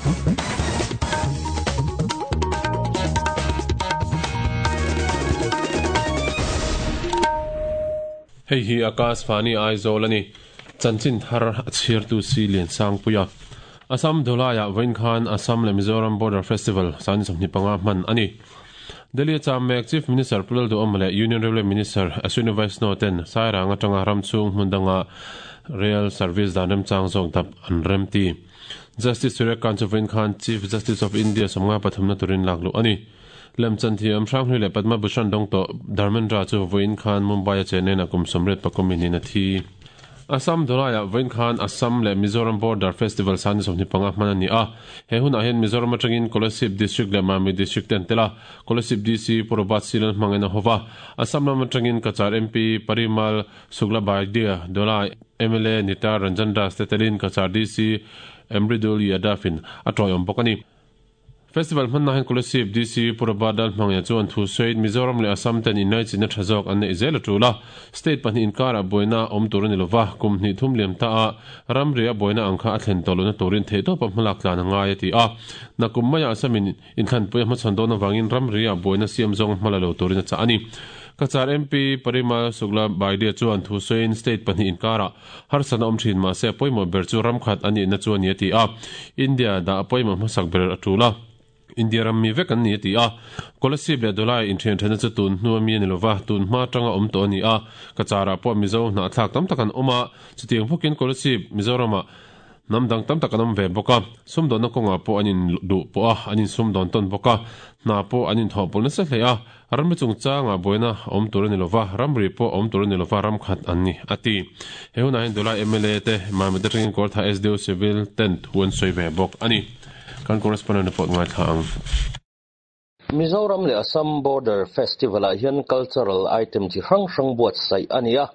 Hei hi Akashvani Aizawl a ni. Chanchin thar a chhiartu si Liansangpuia. Assam Dholai-ah vawiin khan Assam leh Mizoram Border Festival Sani 25 hman a ni. Delhi-a cham mek Chief Minister Pu Lalduhawma leh Union Railway Minister Ashwini Vaishnaw ten Sairang atanga ram chhung hmun danga rail service dan remchang zawk dap an remti. Justice Surya Kant chu vawiin khan Chief Justice of India sawmnga pathumna turin lakluh a ni. Lemchan thiam Hranghlui leh Padma Bhushan dawng tawh Dharmendra chu vawiin khan Mumbai-a Chennai-ah kum sawmriat pakum in a thi. Assam Dholai-ah vawiin khan Assam leh Mizoram Border Festival Sani 25 hman a ni a. He hunah hian Mizoram atangin Kolasib District leh Mamit District te an tel a. Kolasib DC Pu Robert Silal hmangin a hawva. Assam lam atangin Cachar MP Parimal Suklabaidya, Dholai mla Nita Ranjan Das te telin Cachar DC Mridul Yadav-in a tawiawm bawk a ni. Festival hmanna hian Kolasib DC Pu Robert Lalhmangya chuan thu sawiin Mizoram leh Assam ten inlaichinna tha zawk an neih zel a tul a, state pahnih inkarah buaina awm tur a ni lova, kum hnih thum liam ta a ramri a buaina ang kha a thlen tawh lohna turin theihtawpa hmalak tlan a ngai a ti a. Nakum maiah Assamin inthlanpui a hmachhawn dawn avangin ramri ah buaina siam zawng hma la lo turin a chah a ni. Cachar MP Parimal Sukla Baidya chuan thu sawiin state pahnih inkarah Harsatna awm thin mahse a pawimawh ber chu ram khat a nihna chu a ni a ti a. India dah a pawimawh hmasak ber a tul a. India ram mi vek an ni a ti a. Kolasib leh Dholai inthian thena chu tun hnu a mi a ni lova, tun hma atanga awm tawh a ni a. Cachar-ah pawh Mizo hnahthlak tam tak an awm a, chutiang bawkin Kolasib, Mizoramah hnam dang tam tak an awm ve bawk a. Sumdawnna kawngah pawh an induh pawh a, an insumdawn tawn bawk a, hna pawh an inthawhpawlh nasa hle a. Ramri chungchangah buaina awm tur a ni lova, ramri pawh awm tur a ni lova, ram khat an ni, a ti. He hunah hian Dulai mla te, Mamit atangin Kawrtha SDO Civil ten thu an sawi ve bawk a ni. Kan correspondent report ngaithla ang. Mizoram leh Assam Border Festival-ah hian cultural item chi hrang hrang buatsaih a ni a.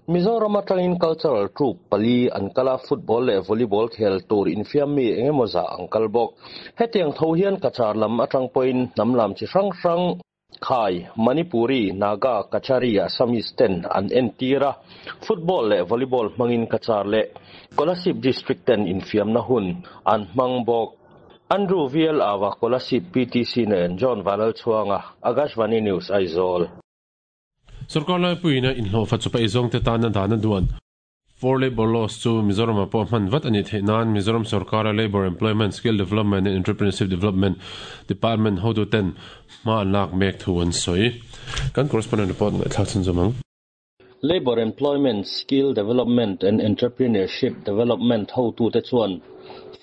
Mizoram atangin cultural troupe pali an kal a, football leh volleyball khel tur infiam mi eng emaw zah an kal bawk. Hetiang tho hian Cachar lam atang pawhin hnam lam chi hrang hrang, Khai, Manipuri, Naga, Kachari, Assamese ten an entir a, football leh volleyball hmangin Cachar leh Kolasib District ten infiamna hun an hmang bawk. Andrew VL Awa, Kolasib PTC nen John Vanlalchhuanga, Akashvani News, Aizawl. Sorkar laipuiin a inhlawhfa chupa eizawngte tana dan a duan. For Labour Laws chu Mizoramah pawh hman vat a nih theih nan Mizoram sorkara Labour Employment, Skill Development and Entrepreneurship Development Department hotuten hma an lak mek thu an sawi. Kan correspondent report ngaihthlak chhunzawm ang. Labour Employment, Skill Development and Entrepreneurship Development hotute chuan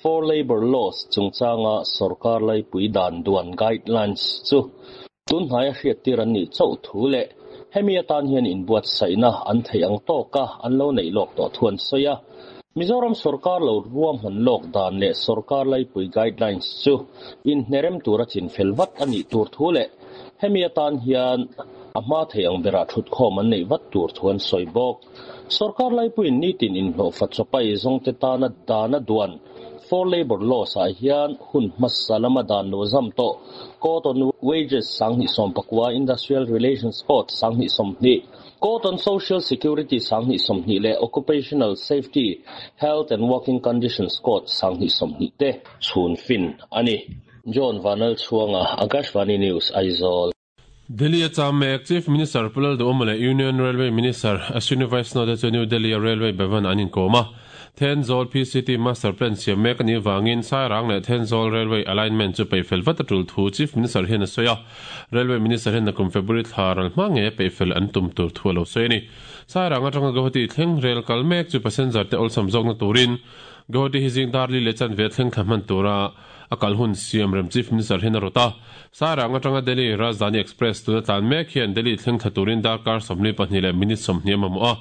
For Labour Laws chungchanga sorkar laipui dan duan guidelines chu Tunhnaia hriattir an nih chauh thu leh hemi atan hian inbuatsaihna an theih ang tawka an lo neih lawk tawh thu an sawi a. Mizoram sorkar lo ruahman lawk dan leh sorkar laipui guidelines chu inhnerem tura chinfel vat a nih tur thu leh hemi atan hian a hma theih ang berah thutkhawm an neih vat tur thu an sawi bawk. Sorkar laipuiin nitin inhlawhfa chawpai zawngte tana dan a duan For Labour Laws ah hian hun hmasa lama dan lo zam tawh Code on Wages 2019, Industrial Relations Code 2020, Code on Social Security 2020 leh Occupational Safety, Health and Working Conditions Code 2020 te chhun fin a ni. John Vanlalchhuanga, Akashvani News, Aizawl. Delhi a cham mek Chief Minister Pu Lalduhawma leh Union Railway Minister Ashwini Vaishnaw te chu New Delhi a Railway Bhavan an inkawm a. Thenzawl PCT Master Plan siam mek a nih vangin Sairang leh Thenzawl Railway Alignment chu peihfel vat a tul thu Chief Minister hian a sawi a. Railway Minister hian nakum February thla ral hma ngeia peihfel an tum tur thu a lo sawi a ni. Sairang atanga Guwahati thleng rel kal mek chu passenger te awlsam zawkna turin Guwahati hi zing dar li leh chanve thleng thla hman tura a kal hun siam rem Chief Minister hian a rawt a. Sairang atanga Delhi Rajdhani Express tuna tlan mek hian Delhi thleng thla turin darkar 42 leh minute 20 a mamawh a.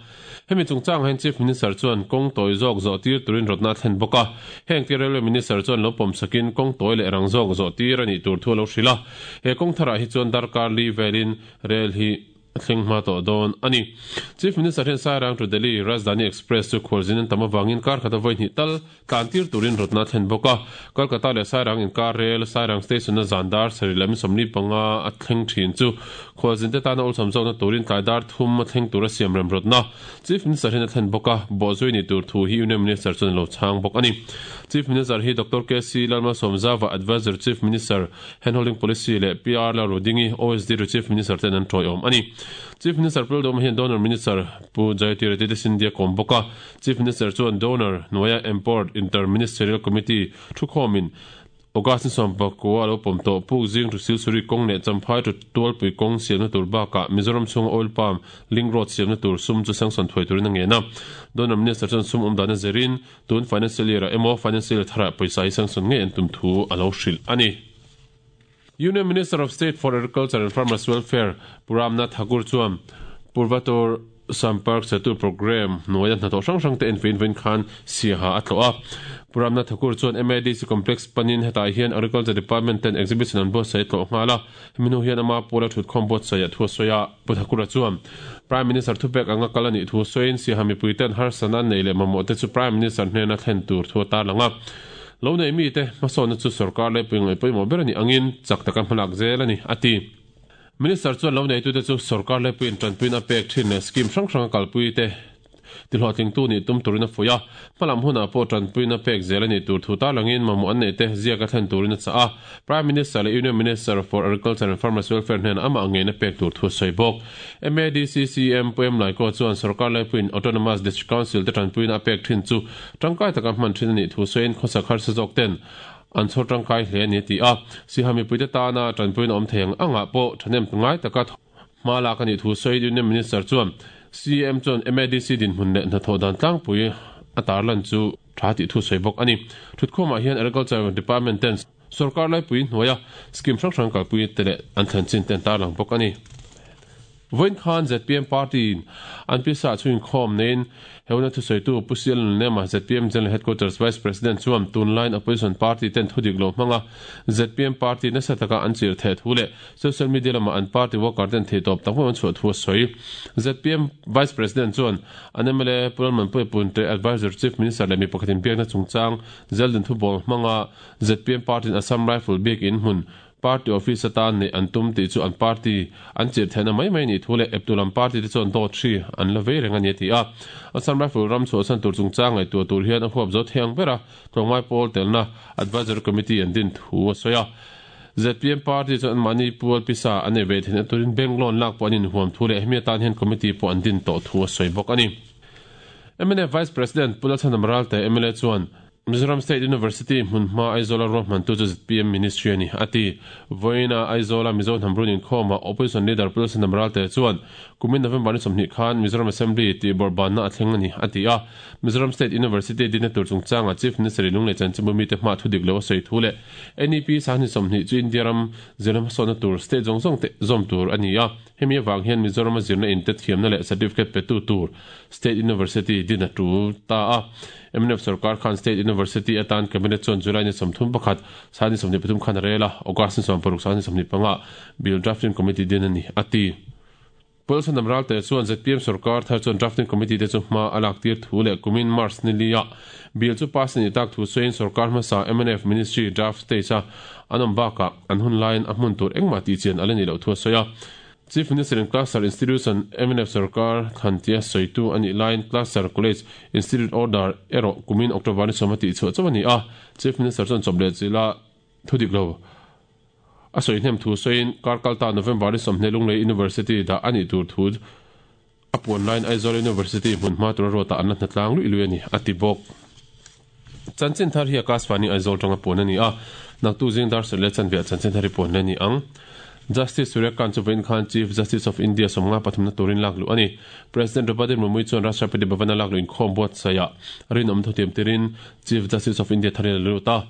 Hemi chungchangah hian Chief Minister chuan kawng tawi zawk zawh tir turin rawtna a thlen bawk a. Heng tir Railway Minister chuan lo pawm sakin kawng tawi leh rang zawk zawh tir a nih tur thu a lo hrilh a. He kawng tharah hi chuan darkar li velin rel hi. A thleng hma tawh dawn a ni. Chief Minister hian Sairang to Delhi Rajdhani Express chu khualzin an tam avangin kar khata vawi hnih tal tlan tir turin rawtna a thlen bawk a. Kolkata leh Sairang inkar rel Sairang Station-a zan dar sarih leh 45 a thleng thin chu khualzin te tana awlsam zawkna turin tlai dar thum a thleng tura siam rem rawtna Chief Minister hian a thlen bawk a, bawhzui ni tur thu hi Union Minister chuan a lo chhang bawk a ni. Chief Minister hi Doctor KC Lalmalsawmzava, Adviser Chief Minister, Handholding Policy leh PR Lalrudingi, OSD ru Chief Minister ten an tawiawm a ni. Chief Minister Pu Lalduhawma hian Donor Minister Pu Jayatiraditya Scindia kawm bawk a. Chief Minister chuan Donor hnuaia Empowered Inter-Ministerial Committee thukhawmin August ni 19 a lo pawm tawh Puk Zing to Silsuri kawng leh Champhai to Tualpui kawng siamna tur bakah Mizoram chhunga Oil Palm Link Road siamna tur sum chu sanction thuai turin a ngen a. Donor Minister chuan sum awm dana zirin Tun financial year ah emaw financial year tharah pawisa hi sanction ngei an tum thu a lo hrilh a ni. Union Minister of State for Agriculture and Farmers Welfare Pu Ram Nath Thakur chuan Purvator Sampark Setu Programme hnuaia hnathawh hrang hrang te enfein vawiin khan Siaha a tlawh a. Pu Ram Nath Thakur chuan MADC Complex panin hetah hian Agriculture Department ten exhibition an buatsaih a tlawh nghal a. Hemi hnu hian ama pawla thutkhawm buatsaih thu a sawi a, Pu Thakura chuan Prime Minister thupek anga kal a nih thu sawiin Siaha mipuiten harsatna an neih leh mamawh te chu Prime Minister hnena thlen tur thu a tarlang a. Lo nei mite hmasawnna chu sorkar leipui ngaih pawimawh ber a nih angin chak taka hmalak zel a ni, a ti. Minister chuan lo neitute chu sorkar leipuiin tanpuina a pek thin leh scheme hrang hrang a kalpui te Tihlawhtlingtu nih tum turin a fuih a, hmalam hunah pawh tanpuina pek zel a nih tur thu tarlangin mamawh an neih te ziak a thlen turin a chah a. Prime Minister leh Union Minister for Agriculture and Farmers Welfare hnenah amah ngeina pek tur thu a sawi bawk. MADCCM Pu Em Laikaw chuan sorkar laipuiin Autonomous District Council te tanpuina a pek thin chu tangkai taka hman thin a nih thu sawiin khawsak harsa zawk ten an chhawr tangkai hle a ni a ti a. Siha mipuite tana tanpuina awm thei ang angah pawh thahnem ngai taka Hma lak a nih thu sawi Union Minister chuan CM chuan MADC dinhmun leh hnathawh dan tlangpui a tarlan chu tha tih thu sawi bawk a ni. Thutkhawmah hian Agriculture Department ten sorkar laipui hnuaia scheme hrang hrang kalpui te leh an thlen chin te an tarlang bawk a ni. Vawiin khan zpm party in an pisa chu inkhawm neiin Heuna thusawitu Pu Sial Nunema, zpm General Headquarters Vice President chuan tunlaiin Opposition party ten thudik lo hmanga zpm party nasa taka an chirh theh thu leh Social media lamah an party worker ten theihtawp tak hmuh an chhuah thu a sawi. Zpm Vice President chuan an mla Pu Lalmanpuia Punte, Adviser Chief Minister leh mi pakhatin biakna chungchang Zeldin Thubawl hmanga zpm party in Assam Rifle biak in hmun Party office atan neih an tum tih chu an party an chirh theihna mai mai nih thu leh eptu lam party te chuan dawt hri an la vei reng a ni a ti a. Assam Rifle ram chhuahsan tur chungchang ngaihtuah tur hian a huap zo thei ang ber a, tlawmngai pawl telna Advisory Committee an din thu a sawi a. Zpm party chuan anmahni pual pisa an nei ve theihna turin bank loan lak pawh an inhuam thu leh hemi atan hian committee pawh an din tawh thu a sawi bawk a ni. Mnf Vice President Pu Lalchhanam Ralte mla chuan Mizoram State University hmunhma Aizawla ruahmantu chu zpm Ministry a ni, a ti. Vawiina Aizawla Mizo hnam run inkhawmah Opposition Leader Pu Lalchhanam Ralte chuan kumin November ni 20 khan Mizoram Assembly tih bawrhbanna a thleng a ni, a ti a. Mizoram State University dinna tur chungchangah Chief Minister in Lunglei Chanchinbu mite hma thu dik lo a sawi thu leh NEP 2020 chu India ram zirna hmasawnna tur state zawng zawng te zawm tur a ni a, hemi avang hian Mizorama zirna in te thiamna leh certificate petu tur State University din a tul ta a. Mnf sorkar khan State University atan Cabinet chuan July ni 31 23 khan a rel a, August ni 16 25 Bill Drafting Committee din a ni, a ti. Pawlsanam Ralte chuan zpm sorkar thar chuan Drafting Committee te chu hma a lak tir thu leh kumin March ni lia bill chu pass a nih tak thu sawiin sorkar hmasa mnf Ministry draft stage a an awm bakah an hun laiin a hmun tur engmah tih chian a la nih loh thu a sawi a. Chief Minister in Cluster Institution mnf sorkar thlan tia sawitu a nih laiin Cluster College Institute Order erawh kumin October ni 10 a tihchhuah chauh a ni a. Chief Minister chuan chawp leh chila Thudik lo a sawi hnem thu sawiin kar kalta November ni 20 Lunglei University dah a nih tur thu a puan laiin Aizawl University hmun hma tura ruatah an la hnatlang luih luih a ni, a ti bawk. Chanchin thar hi Akashvani Aizawl tanga puan a ni a, naktu zing dar serh leh chanveah chanchin thar hi puan leh a ni ang. Justice Surya Kant chu vawiin khan Chief Justice of India 53 na turin lak luh a ni. President Draupadi Murmu chuan Rashtrapati Bhavan-a lak luh inkhawm buatsaihah rinawm thutiam tirin Chief Justice of India tharin a lut a.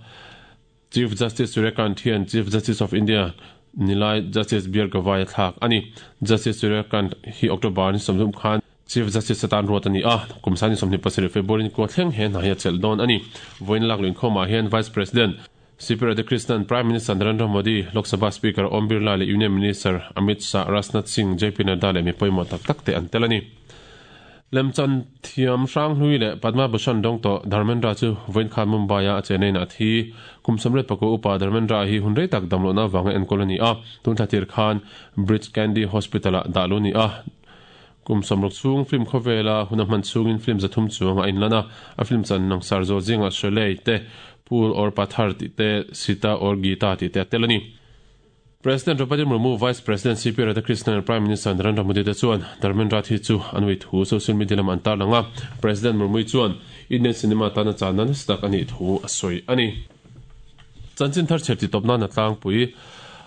Chief Justice Surya Kant hian Chief Justice of India nilai Justice BR Gavai a thlak a ni. Justice Surya Kant hi October ni 30 khan Chief Justice atan ruat a ni a, kum 27 February ni kua thleng he hna hi a chelh dawn a ni. Vawiin lak luh inkhawmah hian Vice President. CP Radhakrishnan, Prime Minister Narendra Modi, Lok Sabha Speaker Om Birla leh Union Minister Amit Shah, Rajnath Singh, JP Nadda leh mi pawimawh tak tak te an tel a ni. Lemchan thiam Hranghlui leh Padma Bhushan dawng tawh Dharmendra chu vawiin khan Mumbai-a a chenaiin a thi. Kum 34 upa Dharmendra hi hun rei tak damlohna avanga enkawl a ni a, tun thla tir khan Breach Candy Hospital-ah dah luh a ni a. Kum 60 chhung film khawvela hun a hman chhungin film 300 chuang a inlan a, a film chan langsar zawh zingah Sholay te, Phool aur Pathar tih te, Sita aur Geeta tih te a tel a ni. President Draupadi Murmu, Vice President CP Radhakrishnan leh Prime Minister Narendra Modi te chuan Dharmendra thi chu an ui thu social media lamah an tarlang a, President Murmu chuan Indian cinema tana channa nasa tak a nih thu a sawi a ni. Chanchin thar chher titawp nan a tlangpui.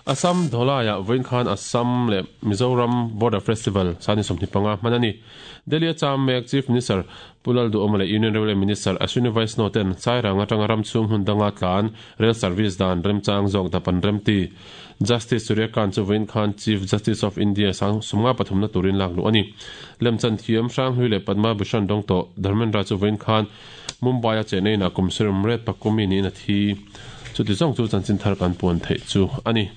Assam Dholai-ah vawiin khan Assam leh Mizoram Border Festival sani 25 hman a ni. Delhi-a cham mek Chief Minister Pu Lalduhawma leh Union Railway Minister Ashwini Vaishnaw ten Sairang atanga ram chhung hmun danga tlan rail service dan remchang zawk dap an remti. Justice Surya Kant chu vawiin khan Chief Justice of India sang sumnga pathumna turin lak luh a ni. Lemchan thiam Hranghlui leh Padma Bhushan dawng tawh Dharmendra chu vawiin khan Mumbai-a cheneiin a kum sirim ret pakumi niin a thi. Chuti zawng chu chanchin thar kan puan theih chu a ni.